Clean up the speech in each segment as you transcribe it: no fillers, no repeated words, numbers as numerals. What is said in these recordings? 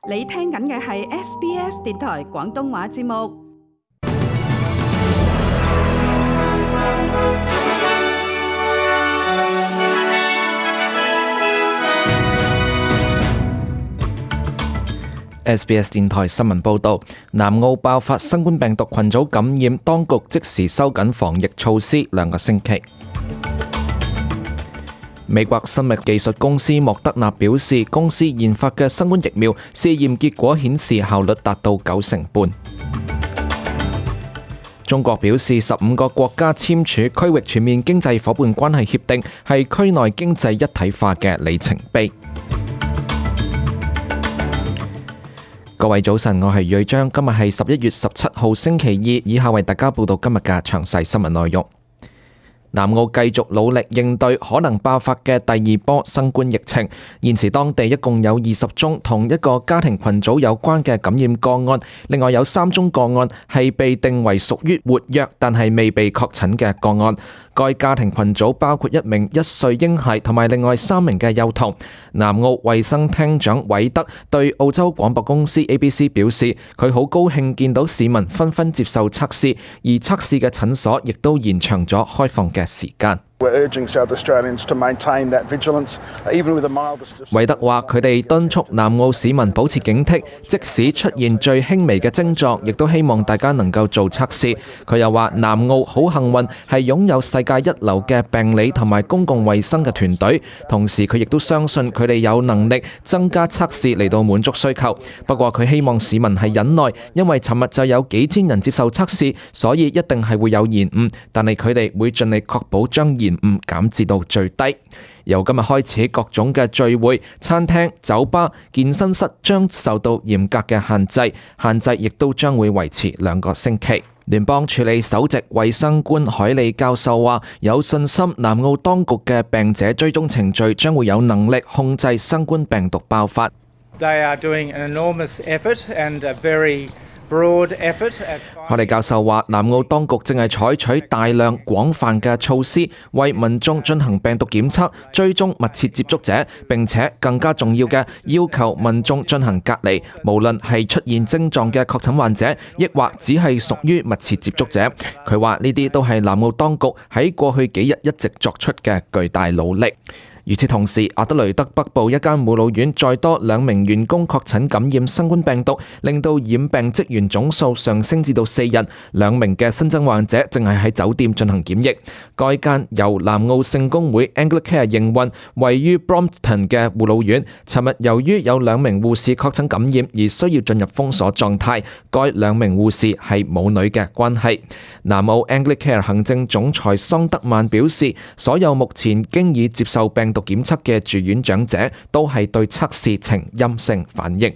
你聽緊嘅係 SBS 電台廣東話節目。SBS 電台新聞報導，南澳爆發新冠病毒群組感染，當局即時收緊防疫措施2個星期。美國生物技術公司莫德納表示，公司研發嘅新冠疫苗試驗結果顯示效率達到90%。中國表示，15個國家簽署區域全面經濟夥伴關係協定，係區內經濟一體化嘅里程碑。各位早晨，我係瑞章，今日係11月17號星期二，以下為大家報道今日嘅詳細新聞內容。南澳繼續努力應對可能爆發嘅第二波新冠疫情，現時當地一共有20宗同一個家庭群組有關嘅感染個案，另外有3宗個案係被定為屬於活躍但係未被確診嘅個案。該家庭群組包括1名1歲嬰孩同埋另外3名嘅幼童。南澳衛生廳長韋德對澳洲廣播公司 ABC 表示，佢好高興見到市民紛紛接受測試，而測試嘅診所亦都延長咗開放嘅時間。韋德話：佢哋敦促南澳市民保持警惕，即使出現最輕微嘅症狀，亦都希望大家能夠做測試。佢又話：南澳好幸運係擁有世界一流嘅病理同埋公共衛生嘅團隊，同時佢亦都相信佢哋有能力增加測試嚟到滿足需求。不過佢希望市民係忍耐，因為尋日就有幾千人接受測試，所以一定係會有延誤，但係佢哋會盡力確保將延誤減至到最低。由今日開始，各種嘅聚會、餐廳、酒吧、健身室將受到嚴格嘅限制亦都將會維持2個星期。聯邦處理首席衛生官海利教授話，有信心南澳當局嘅病者追蹤程序將會有能力控制新冠病毒爆發。They are doing an enormous effort and a very海利教授話，南澳當局正係採取大量廣泛嘅措施，為民眾進行病毒檢測、追蹤密切接觸者，並且更加重要嘅，要求民眾進行隔離，無論係出現症狀嘅確診患者，抑或只係屬於密切接觸者。佢話呢啲都係南澳當局喺過去幾日一直作出嘅巨大努力。與此同時，阿德雷德北部一間護老院再多2名員工確診感染新冠病毒，令到染病職員總數上升至到4人。2名嘅新增患者正係喺酒店進行檢疫。該間由南澳聖公會 Anglicare 營運、位於 Brompton 嘅護老院，尋日由於有2名護士確診感染而需要進入封鎖狀態。該2名護士係母女嘅關係。南澳 Anglicare 行政總裁桑德曼表示，所有目前經已接受病毒檢測嘅住院長者都係對測試呈陰性反應。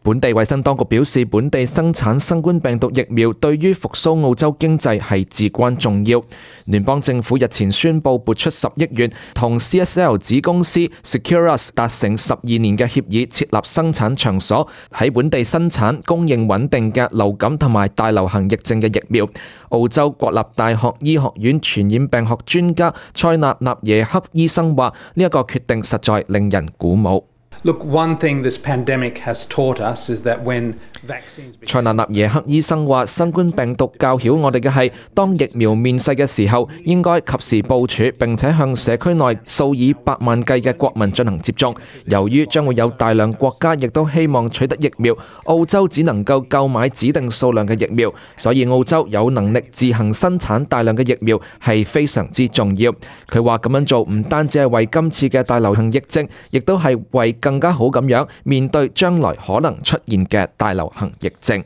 本地衛生當局表示，本地生產新冠病毒疫苗對於復甦澳洲經濟係至關重要。聯邦政府日前宣布撥出10億元，同 CSL 子公司 Seqirus 達成12年嘅協議，設立生產場所喺本地生產供應穩定嘅流感同埋大流行疫症嘅疫苗。澳洲國立大學醫學院傳染病學專家塞納納耶克醫生話：呢一個決定實在令人鼓舞。Look, one thing this pandemic has taught us is that when vaccines... 塞納納耶克醫生話，新冠病毒教曉我哋嘅係，當疫苗面世嘅時候，應該及時部署，並且向社區內數以百萬計嘅國民進行接種。由於將會有大量國家亦都希望取得疫苗，澳洲只能夠購買指定數量嘅疫苗，所以澳洲有能力自行生產大量嘅疫苗係非常之重要。佢話咁樣做唔單止係為今次嘅大流行疫症，亦都係為更加好咁樣面對將來可能出現嘅大流行疫症。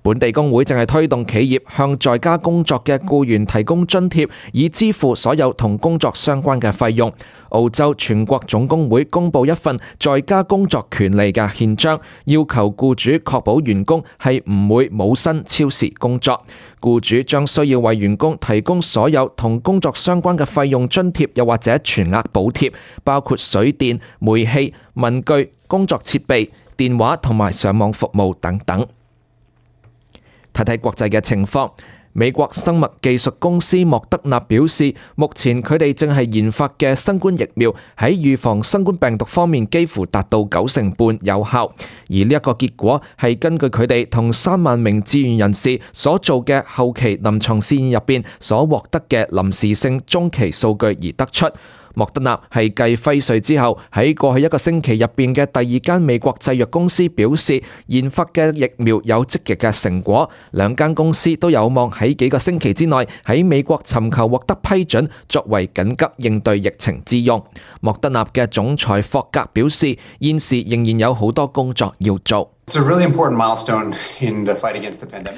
本地工會正係推動企業向在家工作嘅僱員提供津貼，以支付所有同工作相關嘅費用。澳洲全國總工會公布一份在家工作權利嘅憲章，要求僱主確保員工係唔會冇薪超時工作。僱主將需要為員工提供所有同工作相關嘅費用津貼，又或者全額補貼，包括水電、煤氣、文具、工作設備、電話同埋上網服務等等。睇睇國際嘅情況。美國生物技術公司莫德納表示，目前佢哋正係研發嘅新冠疫苗喺預防新冠病毒方面幾乎達到90%有效，而呢一個結果係根據佢哋同3萬名志願人士所做嘅後期臨床試驗入邊所獲得嘅臨時性中期數據而得出。莫德納係繼輝瑞之後喺過去1個星期入邊嘅第2間美國製藥公司，表示研發嘅疫苗有積極嘅成果。2間公司都有望喺幾個星期之內喺美國尋求獲得批准，作為緊急應對疫情之用。莫德納嘅總裁霍格表示，現時仍然有好多工作要做。It's a really important milestone in the fight against the pandemic.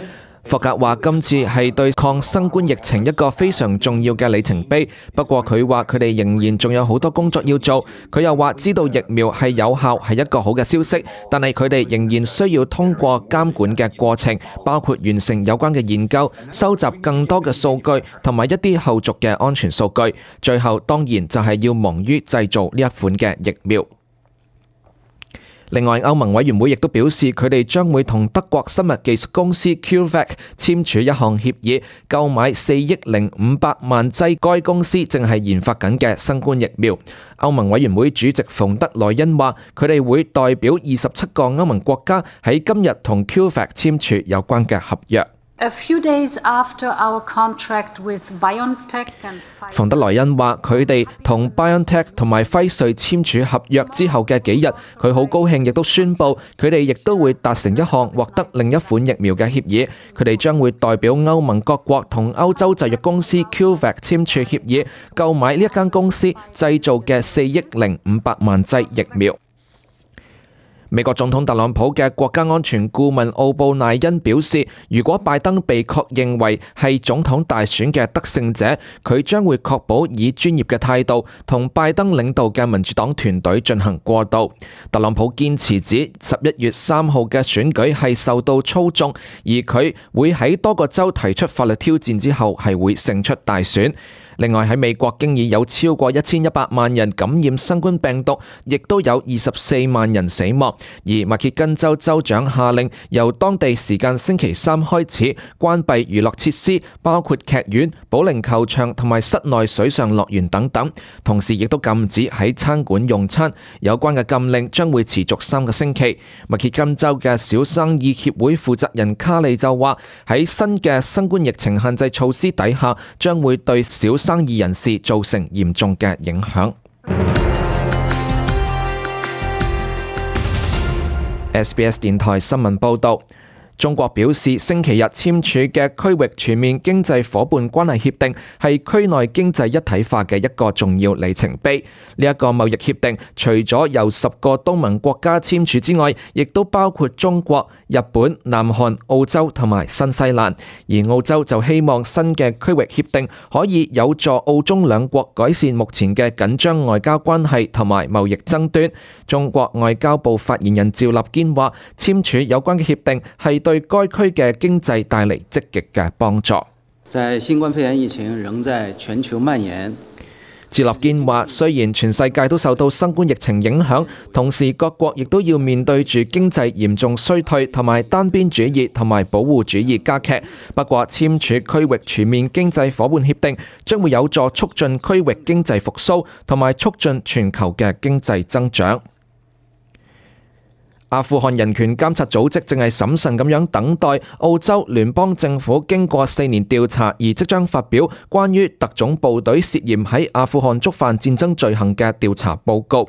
霍格話今次係對抗新冠疫情一個非常重要嘅里程碑，不過佢話佢哋仍然仲有好多工作要做。佢又話知道疫苗係有效係一個好嘅消息，但係佢哋仍然需要通過監管嘅過程，包括完成有關嘅研究、收集更多嘅數據同埋一啲後續嘅安全數據。最後當然就係要忙於製造呢一款嘅疫苗。另外，歐盟委員會亦都表示，佢哋將會同德國生物技術公司 CureVac 簽署一項協議，購買4億500萬劑該公司正係研發緊嘅新冠疫苗。歐盟委員會主席馮德萊恩話，佢哋會代表27個歐盟國家喺今日同 CureVac 簽署有關嘅合約。A few days after our contract with BioNTech and Pfizer， 馮德萊恩話：佢哋同 BioNTech 同埋輝瑞簽署合約之後嘅幾日，佢好高興，亦都宣布佢哋亦都會達成一項獲得另一款疫苗嘅協議。佢哋將會代表歐盟各國同歐洲製藥公司 CureVac 簽署協議，購買呢一間公司製造嘅4億500萬劑疫苗。美國總統特朗普嘅國家安全顧問奧布賴恩表示，如果拜登被確認為係總統大選嘅得勝者，佢將會確保以專業嘅態度同拜登領導嘅民主黨團隊進行過渡。特朗普堅持指11月3號嘅選舉係受到操縱，而佢會喺多個州提出法律挑戰之後係會勝出大選。另外喺美國經已有超過1100萬人感染新冠病毒，亦都有24萬人死亡。而密歇根州州長下令由當地時間星期3開始關閉娛樂設施，包括劇院、保齡球場同埋室內水上樂園等等。同時亦都禁止喺餐館用餐。有關嘅禁令將會持續3個星期。密歇根州嘅小生意協會負責人卡利就話，喺新嘅新冠疫情限制措施底下，將會對小生意人士造成嚴重嘅影響。SBS 電台新聞報導，中國表示星期日簽署嘅區域全面經濟夥伴關係協定係區內經濟一體化嘅一個重要里程碑。呢一個貿易協定除咗由10個東盟國家簽署之外，亦都包括中國、日本、南韓、澳洲同埋新西蘭。而澳洲就希望新嘅區域協定可以有助澳中兩國改善目前嘅緊張外交關係同埋貿易爭端。中國外交部發言人趙立堅話，簽署有關嘅協定係對該區嘅經濟帶嚟積極嘅幫助。在新冠肺炎疫情仍在全球蔓延，趙立堅話，雖然全世界都受到新冠疫情影響，同時各國亦都要面對住經濟嚴重衰退同埋單邊主義同埋保護主義加劇。不過簽署區域全面經濟夥伴協定將會有助促進區域經濟復甦同埋促進全球嘅經濟增長。阿富汗人權監察組織正係審慎咁樣等待澳洲聯邦政府經過4年調查而即將發表關於特種部隊涉嫌喺阿富汗觸犯戰爭罪行嘅調查報告。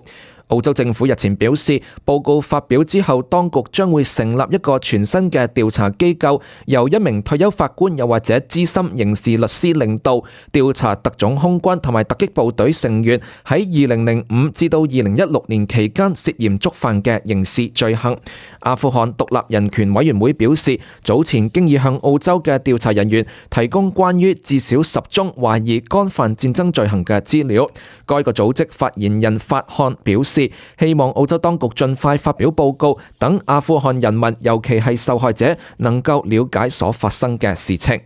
澳洲政府日前表示，報告發表之後，當局將會成立一個全新嘅調查機構，由一名退休法官又或者資深刑事律師領導，調查特種空軍同埋突擊部隊成員喺2005至到2016年期間涉嫌觸犯嘅刑事罪行。阿富汗獨立人權委員會表示，早前經已向澳洲嘅調查人員提供關於至少10宗懷疑干犯戰爭罪行嘅資料。該個組織發言人法漢表示，希望澳洲當局盡快發表報告，等阿富汗人民，尤其係受害者，能夠了解所發生嘅事情。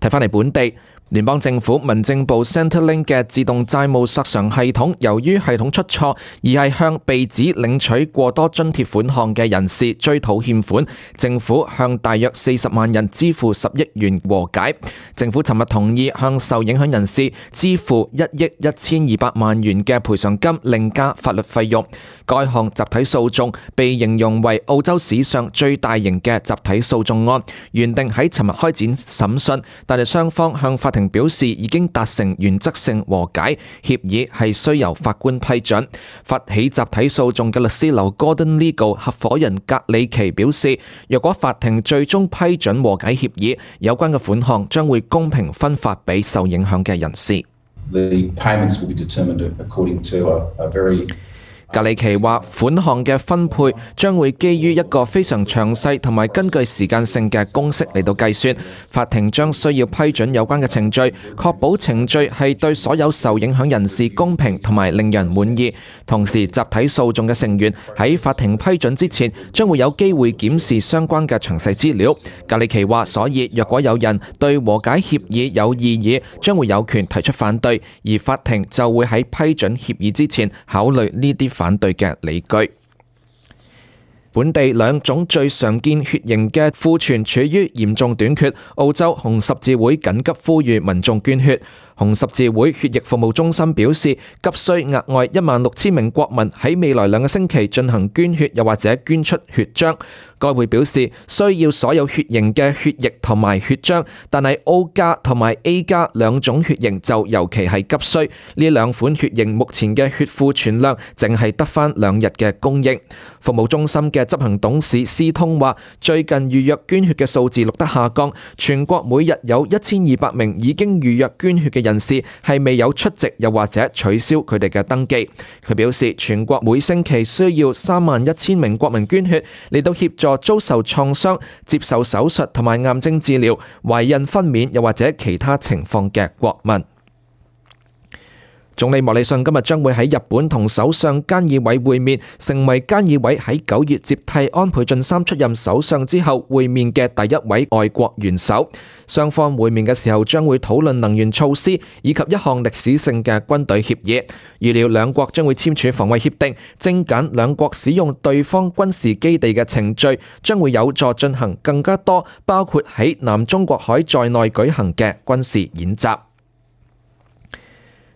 睇返嚟本地。聯邦政府民政部 Centrelink 嘅自動債務索償系統，由於系統出錯，而係向被指領取過多津貼款項嘅人士追討欠款，政府向大約40萬人支付10億元和解。政府尋日同意向受影響人士支付1億1200萬元嘅賠償金，另加法律費用。該項集體訴訟被形容為澳洲史上最大型嘅集體訴訟案，原定喺尋日開展審訊，但係雙方向法庭表示已經達成原則性和解，協議係需由法官批准。發起集體訴訟嘅律師樓 Gordon Legal 合夥人格里奇表示，若果法庭最終批准和解協議，有關嘅款項將會公平分發俾受影響嘅人士。The payments will be determined according to a very格里奇話，款項嘅分配將會基於一個非常詳細同埋根據時間性嘅公式嚟到計算。法庭將需要批准有關嘅程序，確保程序係對所有受影響人士公平同埋令人滿意。同時，集體訴訟嘅成員喺法庭批准之前，將會有機會檢視相關嘅詳細資料。格里奇話，所以若果有人對和解協議有異議，將會有權提出反對，而法庭就會喺批准協議之前考慮呢啲反對嘅理據。本地兩種最常見血型嘅庫存處於嚴重短缺，澳洲紅十字會緊急呼籲民眾捐血。紅十字會血液服務中心表示，急需額外16000名國民喺未來2個星期進行捐血，又或者捐出血漿。該會表示，需要所有血型嘅血液同埋血漿，但係 O 加同埋 A 加兩種血型就尤其係急需。呢兩款血型目前嘅血庫存量淨係得返2日嘅供應。服務中心嘅執行董事斯通話，最近預約捐血嘅數字錄得下降，全國每日有1200名已經預約捐血嘅人士係未有出席又或者取消佢哋嘅登記。佢表示，全國每星期需要31000名國民捐血嚟到協助遭受創傷、接受手術同埋癌症治療、懷孕分娩又或者其他情況嘅國民。總理莫里遜今日將會喺日本同首相菅義偉會面，成為菅義偉喺9月接替安倍晉三出任首相之後會面嘅第一位外國元首。雙方會面嘅時候將會討論能源措施以及一項歷史性嘅軍隊協議。預料兩國將會簽署防衛協定，精簡兩國使用對方軍事基地嘅程序，將會有助進行更加多包括喺南中國海在內舉行嘅軍事演習。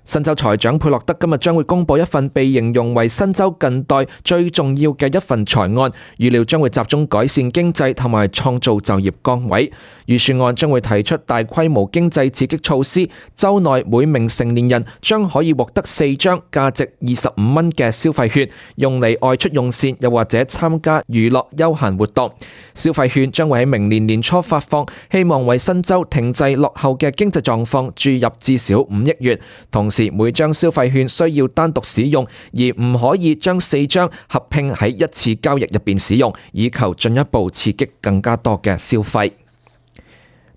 新州財長佩洛德今日將會公布一份被形容為新州近代最重要嘅一份財案，預料將會集中改善經濟同埋創造就業崗位。預算案將會提出大規模經濟刺激措施，州內每名成年人將可以獲得4張價值25蚊嘅消費券，用嚟外出用膳又或者參加娛樂休閒活動。消費券將會喺明年年初發放，希望為新州停滯落後嘅經濟狀況注入至少5億元。同時每張消費券需要單獨使用，而唔可以將4張合併喺一次交易入邊使用，以求進一步刺激更加多嘅消費。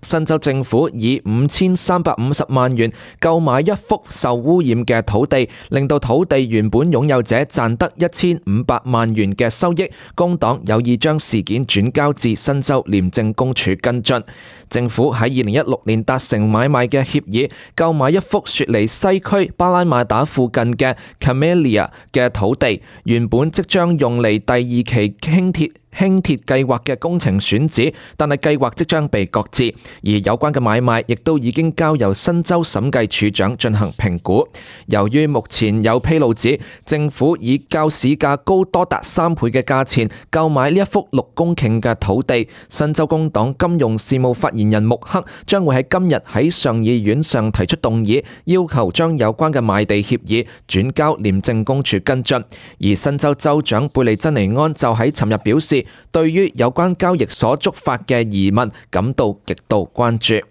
新州政府以5350萬元購買一幅受污染嘅土地，令到土地原本擁有者賺得1500萬元嘅收益。工黨有意將事件轉交至新州廉政公署跟進。政府喺2016年達成買賣嘅協議，購買一幅雪梨西區巴拉馬達附近嘅 Camellia 嘅土地，原本即將用嚟第2期輕鐵計劃嘅工程選址，但係計劃即將被擱置，而有關嘅買賣亦都已經交由新州審計署長進行評估。由於目前有披露指政府以較市價高多達3倍嘅價錢購買呢一幅6公頃嘅土地，新州工黨金融事務發言人穆克將會喺今日喺上議院上提出動議，要求將有關嘅賣地協議轉交廉政公署跟進。而新州州長貝利珍尼安就喺尋日表示，對於有關交易所觸發嘅疑問感到極度關注。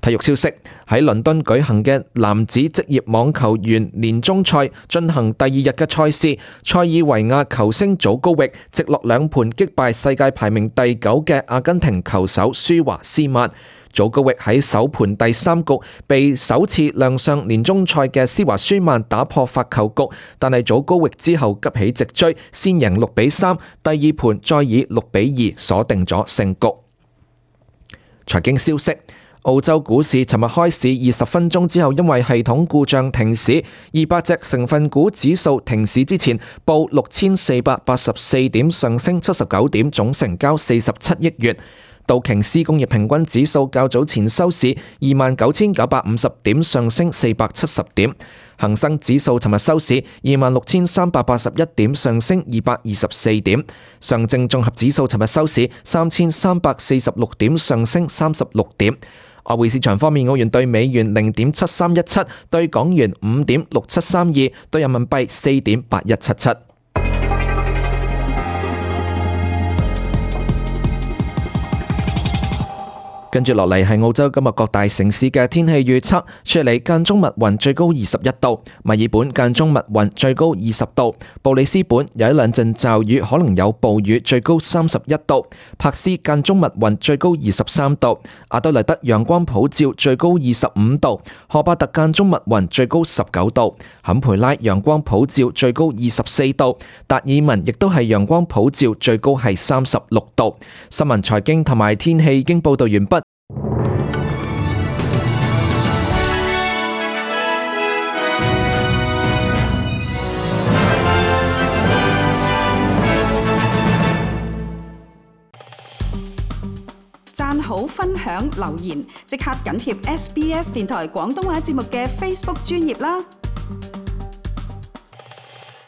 體育消息，喺倫敦舉行嘅男子職業網球員年終賽進行第2日嘅賽事，塞爾維亞球星祖高域直落2盤擊敗世界排名第9嘅阿根廷球手舒華斯曼。祖高域喺首盤第3局被首次亮相年終賽嘅施華舒曼打破發球局，但係祖高域之後急起直追，先贏6-3，第2盤再以6-2鎖定咗勝局。財經消息。澳洲股市尋日開市20分鐘之後，因為系統故障停市，200隻成分股指數停市之前報6484點，上升79點，總成交47億元。道瓊斯工業平均指數較早前收市29,950點，上升470點。恒生指數尋日收市26,381點，上升224點。上證綜合指數尋日收市3,346點，上升36點。外匯市場方面，澳元對美元0.7317，對港元5.6732，對人民幣4.8177。跟住落嚟係澳洲今日各大城市嘅天氣預測：雪梨間中密雲，最高21度；墨爾本間中密雲，最高20度；布里斯本有一兩陣驟雨，可能有暴雨，最高31度；柏斯間中密雲，最高23度；阿德萊德陽光普照，最高25度；荷巴特間中密雲，最高19度；坎培拉陽光普照，最高24度；達爾文亦都係陽光普照，最高係36度。新聞財經同埋天氣已經報道完畢。讚好、分享、留言，即刻緊貼SBS 電台廣東話節目嘅 Facebook 專頁啦！